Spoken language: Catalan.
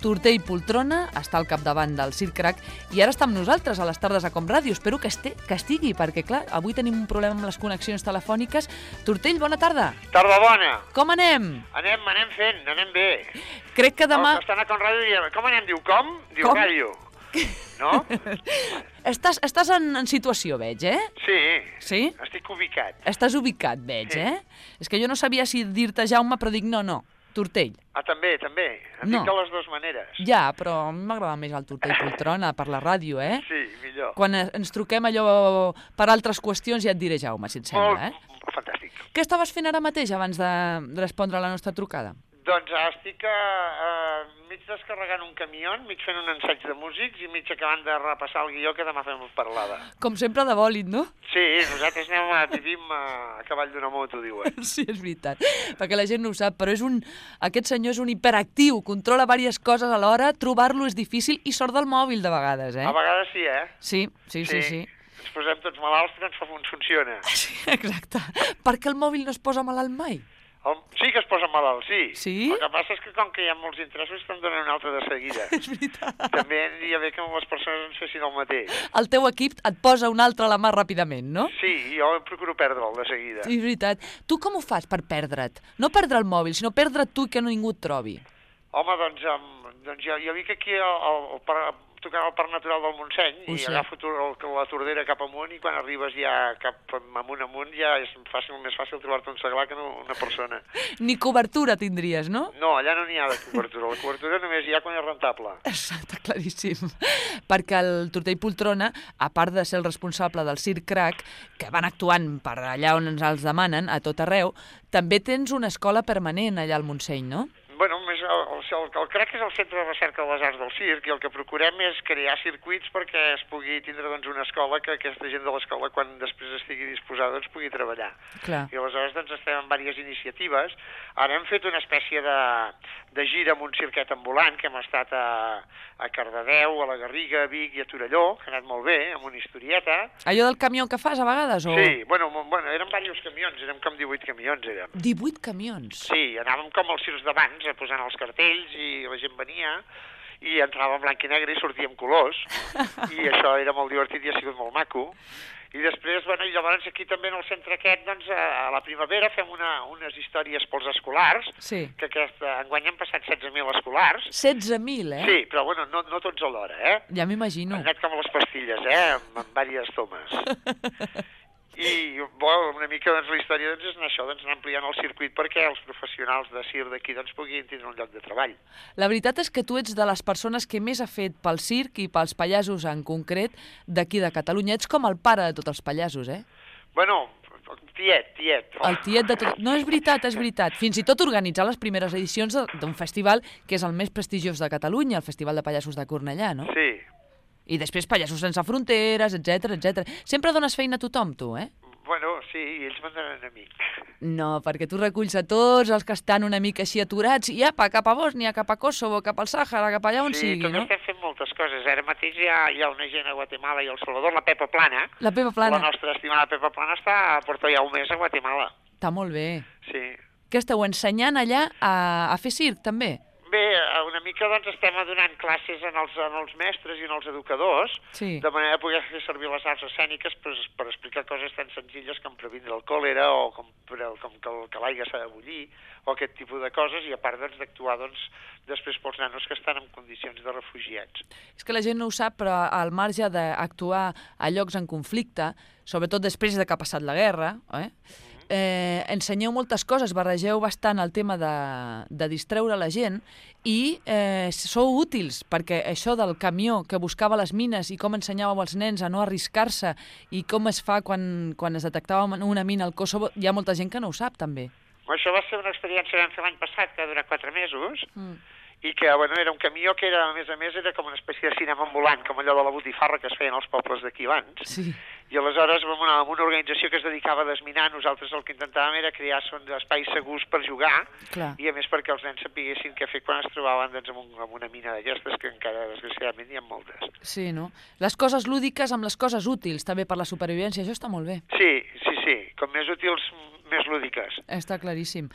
Tortell Poltrona està al capdavant del Circ Crac i ara està amb nosaltres a les tardes a Com Ràdio. Espero que estigui, perquè, clar, avui tenim un problema amb les connexions telefòniques. Tortell, bona tarda. Tarda bona. Com anem? Anem fent, anem bé. Crec que demà... Els que estan a Com Ràdio diuen, com anem? Diu, com? Diu, Com? ràdio. No? Estàs en situació, veig, eh? Sí. Sí? Estic ubicat. Estàs ubicat, veig, Sí. És que jo no sabia si dir-te Jaume, però dic no, Tortell. Ah, també. Em No. dic de les dues maneres. Ja, però a mi m'agrada més el Tortell Poltrona per la ràdio, eh? Sí, millor. Quan ens truquem allò per altres qüestions ja et diré Jaume, si et sembla, Fantàstic. Què estaves fent ara mateix abans de respondre a la nostra trucada? Doncs estic mig descarregant un camió, mig fent un ensaig de músics i mig acabant de repassar el guió que demà fem parlada. Com sempre de bòlit, no? Sí, nosaltres vivim a cavall d'una moto, diuen. Sí, és veritat, perquè la gent no ho sap, però aquest senyor és un hiperactiu, controla diverses coses alhora, trobar-lo és difícil i sort del mòbil de vegades, A vegades sí, eh? Sí. Ens posem tots malalts, però ens funciona. Sí, exacte. Per què el mòbil no es posa malalt mai? Sí que es posa malalt, sí. Sí? El que passa és que com que hi ha molts interessos te'n donen un altre de seguida. És veritat. També aniria bé que les persones ens fessin el mateix. El teu equip et posa un altre a la mà ràpidament, no? Sí, jo procuro perdre'l de seguida. Sí, és veritat. Tu com ho fas per perdre't? No perdre el mòbil, sinó perdre't tu i que ningú et trobi. Home, doncs jo vinc aquí tocant al Parc Natural del Montseny i agafo la tordera cap amunt i quan arribes ja cap amunt ja és més fàcil trobar-te un seglar que no una persona. Ni cobertura tindries, no? No, allà no n'hi ha de cobertura. La cobertura només hi ha quan és rentable. Està claríssim. Perquè el Tortell Poltrona, a part de ser el responsable del Circ Crac, que van actuant per allà on ens els demanen, a tot arreu, també tens una escola permanent allà al Montseny, no? Bueno, el CRAC és el Centre de Recerca de les Arts del Circ i el que procurem és crear circuits perquè es pugui tindre una escola que aquesta gent de l'escola, quan després estigui disposada, pugui treballar. Clar. I aleshores estem en diverses iniciatives. Ara hem fet una espècie de gira amb un cirquet ambulant, que hem estat a Cardedeu, a la Garriga, a Vic i a Torelló, que ha anat molt bé, amb una historieta. Allò del camió que fas a vegades, o...? Sí, bueno, eren diversos camions, érem com 18 camions, érem. 18 camions? Sí, anàvem com els circs d'abans, posant els cartells i la gent venia i entrava en blanc i negre i sortia en colors i això era molt divertit i ha sigut molt maco. I després, i llavors aquí també en el centre aquest, doncs a la primavera fem unes històries pels escolars, sí. Que enguany han passat 16.000 escolars. 16.000, eh? Sí, però bueno, no tots alhora, eh? Ja m'imagino. Han anat com les pastilles, amb diverses tomes. I una mica la història és anar això, anar ampliant el circuit perquè els professionals de circ d'aquí puguin tindre un lloc de treball. La veritat és que tu ets de les persones que més ha fet pel circ i pels pallassos en concret d'aquí de Catalunya. Ets com el pare de tots els pallassos, eh? Bueno, tiet. El tiet de tot... No, és veritat. Fins i tot organitzar les primeres edicions d'un festival que és el més prestigiós de Catalunya, el Festival de Pallassos de Cornellà, no? Sí. I després Pallassos sense fronteres, etc. Sempre dones feina a tothom, tu, eh? Bueno, sí, ells me'n donen a mi. No, perquè tu reculls a tots els que estan una mica així aturats i apa, cap a Bòsnia, cap a Kosovo, cap al Sàhara, cap allà on sigui, no? Sí, també estem fent moltes coses. Ara mateix hi ha una gent a Guatemala i a El Salvador, la Pepa Plana. La Pepa Plana. La nostra estimada Pepa Plana porta ja un mes a Guatemala. Està molt bé. Sí. Què esteu ensenyant allà a fer circ, també? Bé, una mica estem donant classes en els mestres i en els educadors, sí. De manera de poder fer servir les arts escèniques per explicar coses tan senzilles com previndre el còlera o com que l'aigua s'ha de bullir o aquest tipus de coses i a part d'actuar després pels nanos que estan en condicions de refugiats. És que la gent no ho sap, però al marge d'actuar a llocs en conflicte, sobretot després que ha passat la guerra, ensenyeu moltes coses, barregeu bastant el tema de distreure la gent i sou útils, perquè això del camió que buscava les mines i com ensenyàveu als nens a no arriscar-se i com es fa quan es detectava una mina al Kosovo, hi ha molta gent que no ho sap, també. Això va ser una experiència que vam fer l'any passat, que va durar 4 mesos, i que era un camió que a més a més era com una espècie de cinema ambulant, com allò de la botifarra que es feien als pobles d'aquí abans. Sí. I aleshores, amb una organització que es dedicava a desminar, nosaltres el que intentàvem era crear espais segurs per jugar, clar. I a més perquè els nens sapiguessin què fer quan es trobaven amb una mina d'aquestes, que encara desgraciadament hi ha moltes. Sí, no? Les coses lúdiques amb les coses útils, també per la supervivència, això està molt bé. Sí, com més útils, més lúdiques. Està claríssim.